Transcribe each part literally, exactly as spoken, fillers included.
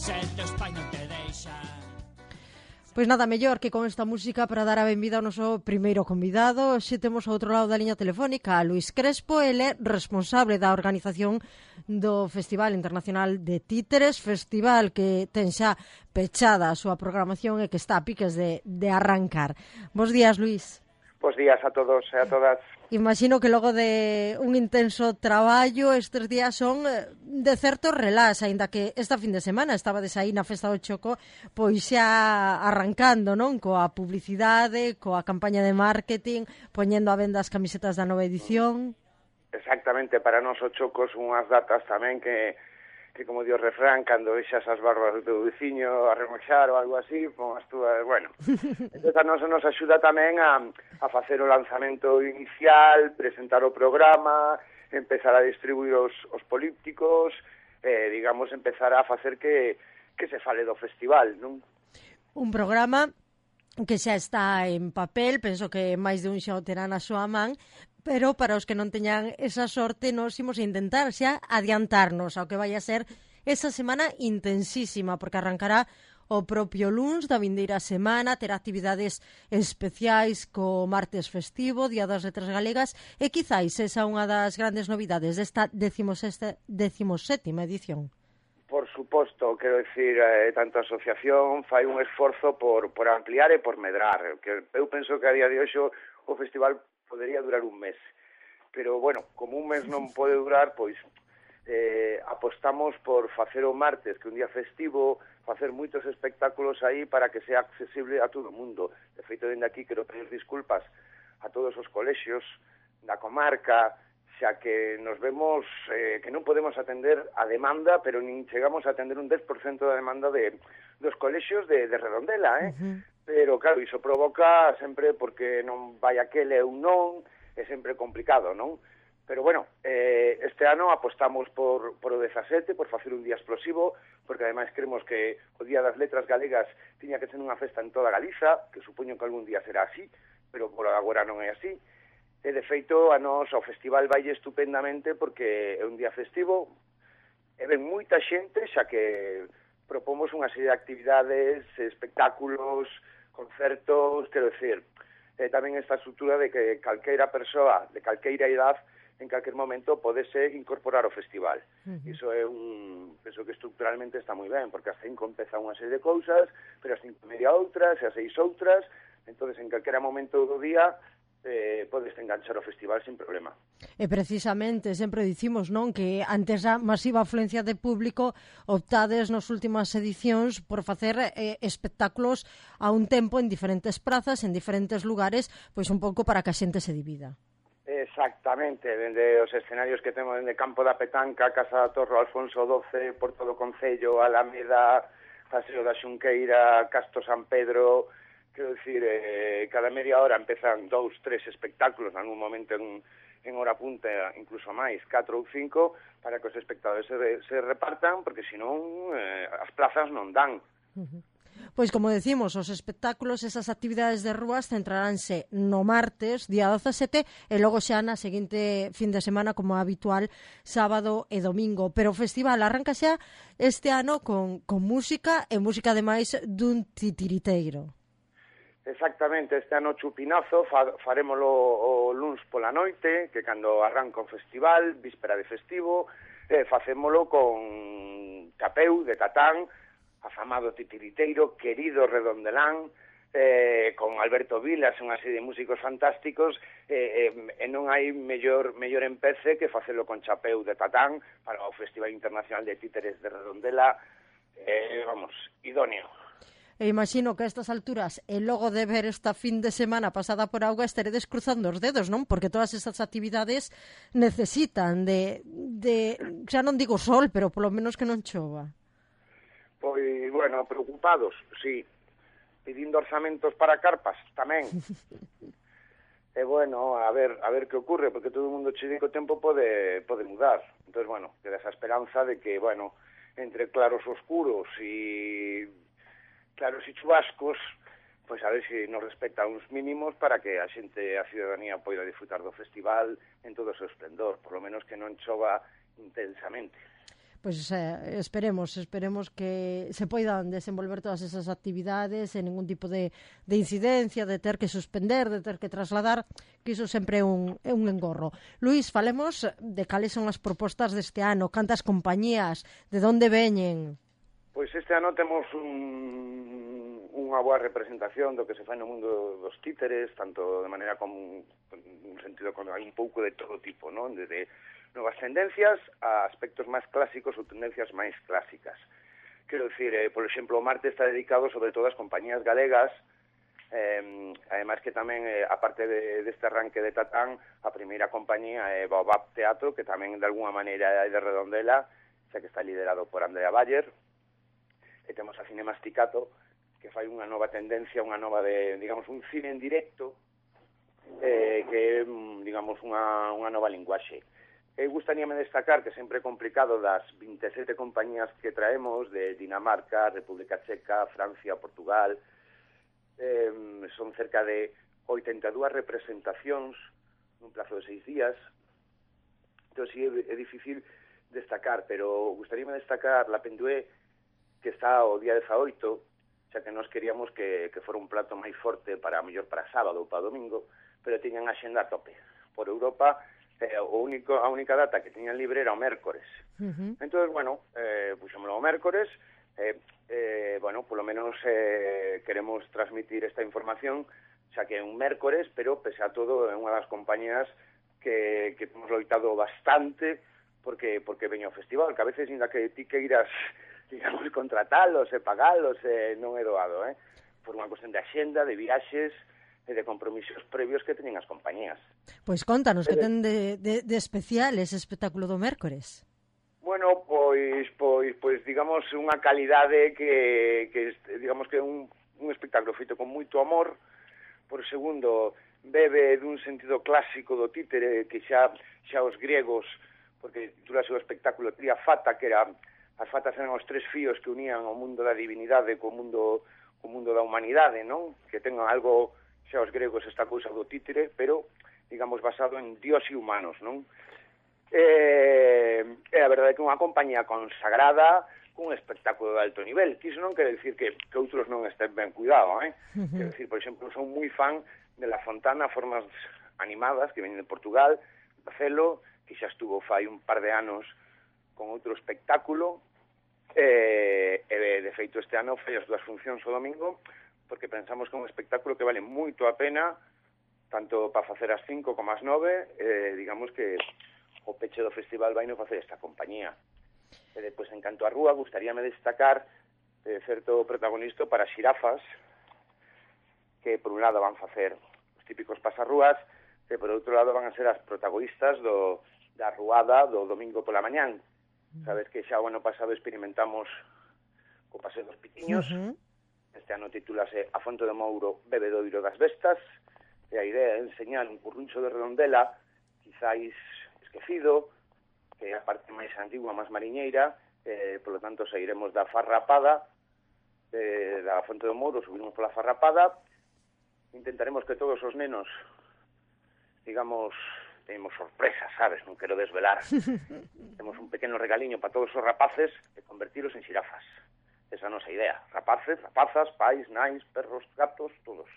Se teus pai non te deixa. Pois nada mellor que con esta música para dar a benvida ao noso primeiro convidado. Xe temos ao outro lado da liña telefónica a Luís Crespo, ele é responsable da organización do Festival Internacional de Títeres, festival que ten xa pechada a súa programación e que está a piques de, de arrancar. Bos días, Luís. Bos días a todos e a todas. Imagino que logo de un intenso traballo estes días son de certo relax, aínda que esta fin de semana estabades aí na Festa do Choco, pois xa arrancando, non? Coa publicidade, coa campaña de marketing, poñendo a venda as camisetas da nova edición. Exactamente, para nós o Choco son unhas datas tamén que, que como dio o refrán, cando vexas as barbas do teu veciño a remoxar ou algo así, pon as túas, bueno. Entón a nos nos axuda tamén a, a facer o lanzamento inicial, presentar o programa, empezar a distribuir os, os polípticos, eh, digamos, empezar a facer que, que se fale do festival, non? Un programa que xa está en papel, penso que máis de un xa o terá na súa man, pero para os que non teñan esa sorte, nos imos intentar xa adiantarnos ao que vai a ser esa semana intensísima, porque arrancará o propio luns da vindeira semana, terá actividades especiais co martes festivo, Día das Letras Galegas, e quizáis esa unha das grandes novidades desta decimosétima edición. Por suposto, quero dicir, eh, tanto a asociación fai un esforzo por, por ampliar e por medrar, que eu penso que a día de hoxe o festival podería durar un mes, pero, bueno, como un mes non pode durar, pois eh, apostamos por facer o martes, que é un día festivo, facer moitos espectáculos aí para que sea accesible a todo o mundo. De feito, dende aquí quero pedir disculpas a todos os colexios da comarca, xa que nos vemos eh, que non podemos atender a demanda, pero nin chegamos a atender un dez por cento da demanda de, dos colexios de, de Redondela, eh? Uh-huh. Pero, claro, iso provoca sempre porque non vai aquele ou non, é sempre complicado, non? Pero, bueno, eh, este ano apostamos por, por o dezasete, por facer un día explosivo, porque ademais creemos que o Día das Letras Galegas tiña que ser unha festa en toda Galiza, que supoño que algún día será así, pero por agora non é así. E, de feito, a nos ao festival vai estupendamente porque é un día festivo, e ven moita xente, xa que propomos unha serie de actividades, espectáculos, concertos, quero decir, eh, tamén esta estrutura de que calqueira persoa de calqueira idade en calquer momento podese incorporar ao festival. Uh-huh. Iso é un... penso que estructuralmente está moi ben, porque as cinco empeza unha serie de cousas, pero as cinco e media outras, e as seis outras, entonces en calquera momento do día eh, podes enganchar o festival sin problema. E precisamente, sempre dicimos, non, que antes a masiva afluencia de público optades nas últimas edicións por facer eh, espectáculos a un tempo en diferentes prazas, en diferentes lugares, pois un pouco para que a xente se divida. Exactamente, dende os escenarios que temos dende Campo da Petanca, Casa da Torre, Alfonso doce, Porto do Concello, Alameda, Paseo da Xunqueira, Castro San Pedro. Quero dicir, eh, cada media hora empezan dous, tres espectáculos, en algún momento en, en hora punta, incluso máis, catro ou cinco, para que os espectadores se, se repartan, porque senón eh, as plazas non dan. Uh-huh. Pois, como decimos, os espectáculos, esas actividades de rúas centraránse no martes, día dezasete, e logo xa na seguinte fin de semana, como habitual, sábado e domingo. Pero o festival arranca xa este ano con, con música, e música ademais dun titiriteiro. Exactamente, este ano chupinazo, fa, farémolo o luns pola noite, que cando arranca o festival, víspera de festivo, eh, facémolo con Chapeu de Tatán, afamado titiriteiro, querido Redondelán, eh, con Alberto Vilas, unha serie de músicos fantásticos, eh, eh, e non hai mellor, mellor empece que facelo con Chapeu de Tatán para o Festival Internacional de Títeres de Redondela, eh, vamos, idóneo. E imagino que a estas alturas, e logo de ver esta fin de semana pasada por auga, estaredes cruzando os dedos, non? Porque todas estas actividades necesitan de, de, xa non digo sol, pero polo menos que non chova. Pois, bueno, preocupados, sí. Pedindo orzamentos para carpas, tamén. E, bueno, a ver a ver que ocurre, porque todo o mundo che di que o tempo pode, pode mudar. Entón, bueno, queda esa esperanza de que, bueno, entre claros oscuros e claros e chubascos, pois a ver se nos respecta uns mínimos para que a xente, a ciudadanía, poida disfrutar do festival en todo o seu esplendor, por lo menos que non chova intensamente. Pois eh, esperemos, esperemos que se poidan desenvolver todas esas actividades sen ningún tipo de, de incidencia, de ter que suspender, de ter que trasladar, que iso sempre é un, é un engorro. Luís, falemos de cales son as propostas deste ano, cantas compañías, de onde veñen? Pois este ano temos un, unha boa representación do que se fai no mundo dos títeres, tanto de maneira como un sentido con hai un pouco de todo tipo, non? Desde novas tendencias a aspectos máis clásicos ou tendencias máis clásicas. Quero dicir, eh, por exemplo, o Marte está dedicado sobre todo ás compañías galegas, eh, ademais que tamén, eh, aparte de, deste arranque de Tatán, a primeira compañía é Baobab Teatro, que tamén de alguna maneira é de Redondela, xa que está liderado por Andrea Bayer, e temos a Cinemasticato, que fai unha nova tendencia, unha nova de, digamos, un cine en directo, eh, que é, digamos, unha, unha nova linguaxe. Eu gustaríame destacar que sempre é complicado das vinte e sete compañías que traemos de Dinamarca, República Checa, Francia, Portugal. Eh, son cerca de oitenta e dúas representacións nun plazo de seis días. Entón, sí, é, é difícil destacar, pero gustaríame destacar la Pendué, que está o día dezaoito, xa que nós queríamos que, que fora un plato máis forte para mellor para sábado ou para domingo, pero tiñan a xenda a tope. Por Europa, Eh, o único, a única data que tiñan libre era o mércores. Uh-huh. Entón, bueno, eh, puxémoslo o mércores, eh, eh, bueno, polo menos eh, queremos transmitir esta información, xa que é un mércores, pero, pese a todo, é unha das compañías que, que temos loitado bastante porque porque veño ao festival, que a veces, ainda que ti que irás, digamos, contratalos e pagalos, eh, non é doado, eh? Por unha cuestión de axenda, de viaxes, e de compromisos previos que teñen as compañías. Pois contanos, que ten de, de, de especial ese espectáculo do mércores? Bueno, pois, pois, pois digamos, unha calidade que, que digamos que é un, un espectáculo feito con moito amor. Por segundo, bebe dun sentido clásico do títere que xa, xa os griegos, porque titulase o espectáculo Tria Fata, que era, as fatas eran os tres fíos que unían o mundo da divinidade co mundo, co mundo da humanidade, non? Que tengan algo xa os gregos esta cousa do títere, pero, digamos, basado en dios e humanos, non? E, e a verdade é que unha compañía consagrada cun espectáculo de alto nivel, que iso non quere dicir que, que outros non estén ben cuidado, eh? Uh-huh. Quero dicir, por exemplo, son moi fan de La Fontana, formas animadas, que veñen de Portugal, Barcelo, que xa estuvo fai un par de anos con outro espectáculo, e, e de feito este ano fai as dúas funcións o domingo, porque pensamos que é un espectáculo que vale moito a pena, tanto para facer as cinco como as nove, eh, digamos que o peche do festival vai non facer esta compañía. E depois, en canto a rúa, gustaríame destacar eh, certo protagonista para xirafas, que por un lado van facer os típicos pasarrúas, e por outro lado van a ser as protagonistas do, da ruada do domingo pola mañán. Sabes que xa o ano pasado experimentamos co paseo dos pitiños, uh-huh. Este ano titúlase A Fonte do Mouro, bebedoiro das bestas, e a idea é enseñar un curruncho de Redondela, quizáis esquecido, que é a parte máis antigua, máis mariñeira, eh, polo tanto, sairemos da Farrapada, eh, da Fonte do Mouro, subimos pola Farrapada, intentaremos que todos os nenos, digamos, temos sorpresas, sabes, non quero desvelar, temos un pequeno regaliño para todos os rapaces e convertilos en xirafas. Esa é a nosa idea. Rapaces, rapazas, pais, nais, perros, gatos, todos.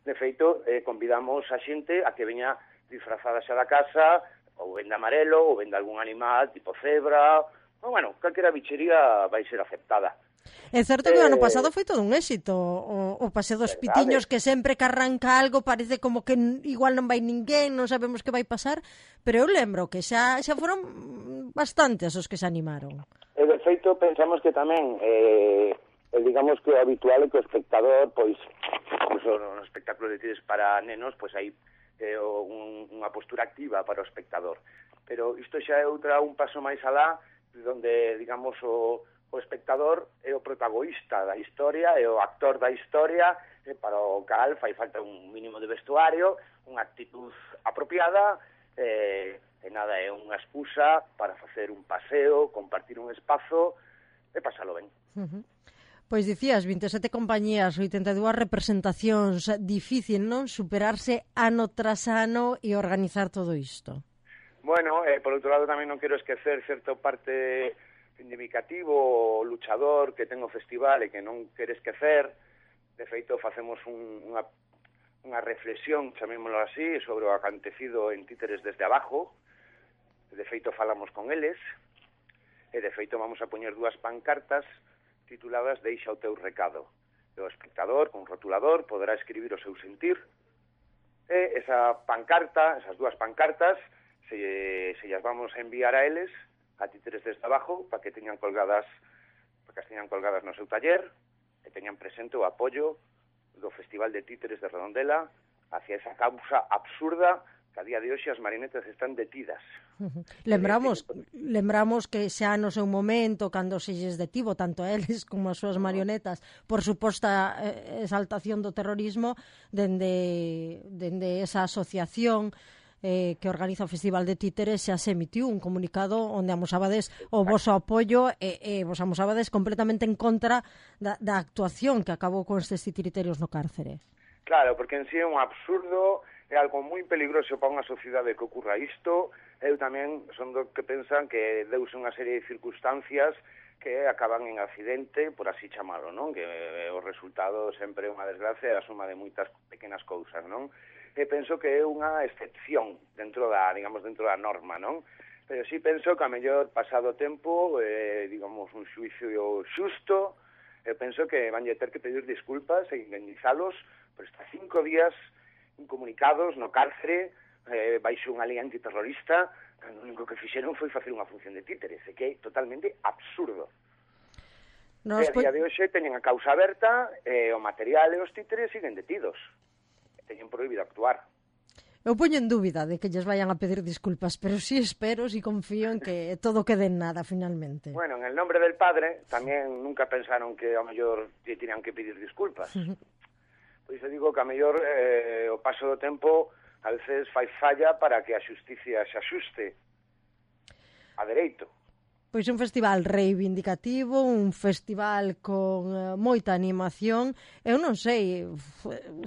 De feito, eh, convidamos a xente a que veña disfrazada xa da casa, ou venda amarelo, ou venda algún animal, tipo cebra, ou, bueno, calquera bichería vai ser aceptada. É certo que o ano pasado foi todo un éxito, o, o paseo dos verdade. Pitiños, que sempre que arranca algo parece como que igual non vai ninguén, non sabemos que vai pasar, pero eu lembro que xa, xa foron bastantes os que se animaron. E de feito pensamos que tamén eh, digamos que o habitual é que o espectador, pois, incluso no espectáculo de tires para nenos, pois hai eh, un, unha postura activa para o espectador. Pero isto xa é outra, un paso máis alá, donde, digamos, o, o espectador é o protagonista da historia, é o actor da historia, e para o cal fai falta un mínimo de vestuario, unha actitud apropiada, eh, e nada, é unha excusa para facer un paseo, compartir un espazo e pasalo ben. Uh-huh. Pois dicías, vinte e sete compañías, oitenta e dúas representacións, difícil, non? Superarse ano tras ano e organizar todo isto. Bueno, eh, por outro lado tamén non quero esquecer certa parte reivindicativo, luchador que ten o festival e que non quere esquecer. De feito, facemos un, unha, unha reflexión, chamémoslo así, sobre o acontecido en Títeres desde abajo. De feito, falamos con eles, e de feito vamos a poñer dúas pancartas tituladas Deixa o teu recado. E o espectador, con rotulador, poderá escribir o seu sentir, e esa pancarta, esas dúas pancartas, se, se llas vamos a enviar a eles, a Títeres desde abajo, para que teñan colgadas, para que as teñan colgadas no seu taller, e teñan presente o apoio do Festival de Títeres de Redondela hacia esa causa absurda que a día de hoxe as marionetas están detidas. Uh-huh. Lembramos, lembramos que xa no seu momento, cando se lles detivo tanto a eles como as súas marionetas por suposta eh, exaltación do terrorismo, dende, dende esa asociación eh, que organiza o Festival de Títeres, xa se emitiu un comunicado onde amosábades o voso apoio e, e vos amosábades completamente en contra da, da actuación que acabou con estes titiriterios no cárcere. Claro, porque en sí é un absurdo, é algo moi peligroso para unha sociedade que ocurra isto. Eu tamén son do que pensan que deuse unha serie de circunstancias que acaban en accidente, por así chamalo, non? Que o resultado sempre é unha desgracia e a suma de moitas pequenas cousas, non? E penso que é unha excepción dentro da, digamos, dentro da norma, non? Pero sí penso que a mellor pasado o tempo, eh, digamos, un xuicio xusto, eu penso que van a ter que pedir disculpas e indemnizalos por estar cinco días incomunicados no cárcere, eh, baixo unha lei antiterrorista, cando o único que fixeron foi facer unha función de títeres, e que é totalmente absurdo. Nos e a día de hoxe teñen a causa aberta, e o material e os títeres siguen detidos. E teñen prohibido actuar. Eu poño en dúbida de que lles vayan a pedir disculpas, pero sí espero, sí confío en que todo quede en nada, finalmente. Bueno, en el nombre del padre, tamén nunca pensaron que ao mellor lle tiñan que pedir disculpas. Pois eu digo que a mellor eh, o paso do tempo a veces fai falla para que a xusticia se axuste a dereito. Pois un festival reivindicativo, un festival con uh, moita animación. Eu non sei,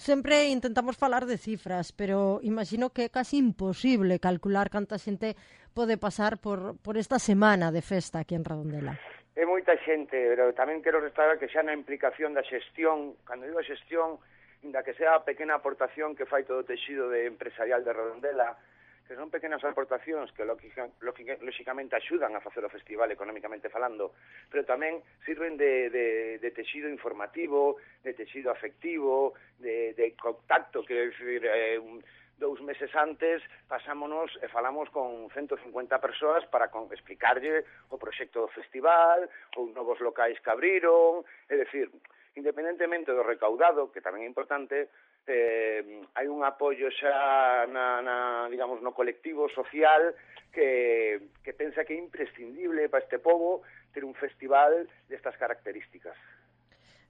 sempre intentamos falar de cifras, pero imagino que é casi imposible calcular canta xente pode pasar por, por esta semana de festa aquí en Redondela. É moita xente, pero tamén quero destacar que xa na implicación da xestión, cando digo a xestión, inda que sea a pequena aportación que fai todo o texido de empresarial de Redondela, que son pequenas aportacións que lógicamente axudan a facer o festival económicamente falando, pero tamén sirven de, de, de texido informativo, de texido afectivo, de, de contacto, que decir, eh, un, dous meses antes pasámonos e falamos con ciento cincuenta persoas para con, explicarlle o proxecto do festival, ou novos locais que abriron, é dicir, independentemente do recaudado, que tamén é importante, eh, hai un apoio xa na, na, digamos, no colectivo social que, que pensa que é imprescindible para este pobo ter un festival destas características.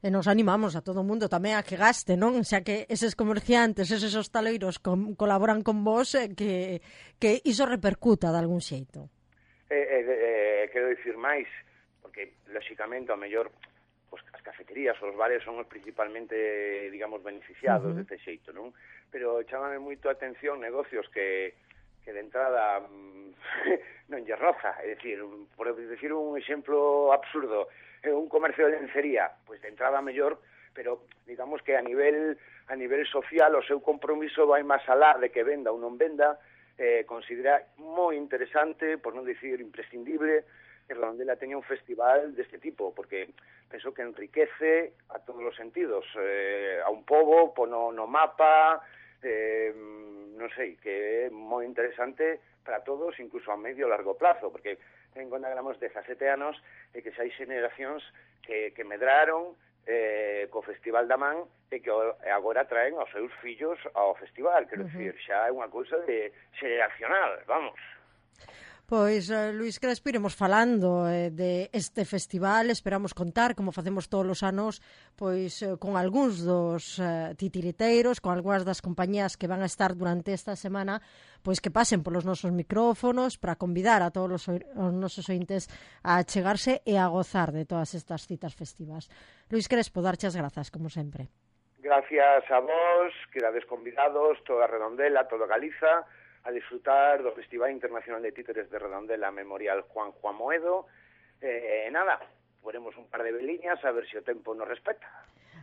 E nos animamos a todo o mundo tamén a que gaste, non? Xa que eses comerciantes, eses hostaleiros com, colaboran con vos, eh, que, que iso repercuta de algún xeito. Eh, eh, eh, quero dicir máis, porque, lóxicamente, ao mellor pues, as cafeterías ou os bares son principalmente, digamos, beneficiados uh-huh. deste xeito, non? Pero chámame moito a atención negocios que, que de entrada non lle roza, é dicir, por decir un exemplo absurdo, un comercio de lencería, pois de entrada mellor, pero digamos que a nivel a nivel social o seu compromiso vai máis alá de que venda ou non venda, eh, considera moi interesante, por non dicir imprescindible, que Redondela teña un festival deste tipo, porque penso que enriquece a todos os sentidos, eh, a un pobo, pono no mapa, eh, non sei, que é moi interesante para todos, incluso a medio e largo plazo, porque ten conta que éramos dezasete anos e que xa hai xeneracións que, que medraron eh, co Festival da Man e que agora traen aos seus fillos ao festival, quero uh-huh. dicir, xa é unha cousa de xeneracional, vamos. Pois, uh, Luís Crespo, iremos falando eh, de este festival, esperamos contar, como facemos todos os anos, pois eh, con algúns dos eh, titiriteiros, con algunhas das compañías que van a estar durante esta semana, pois que pasen polos nosos micrófonos para convidar a todos os, os nosos ointes a chegarse e a gozar de todas estas citas festivas. Luís Crespo, darche as grazas, como sempre. Gracias a vos, quedades convidados, toda Redondela, toda Galiza, a disfrutar do Festival Internacional de Títeres de Redondela Memorial Juan Juan Moedo, E eh, nada, ponemos un par de veliñas a ver se o tempo nos respeta.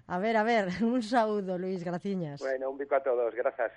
A ver, a ver, un saúdo, Luís, graciñas. Bueno, un bico a todos, grazas.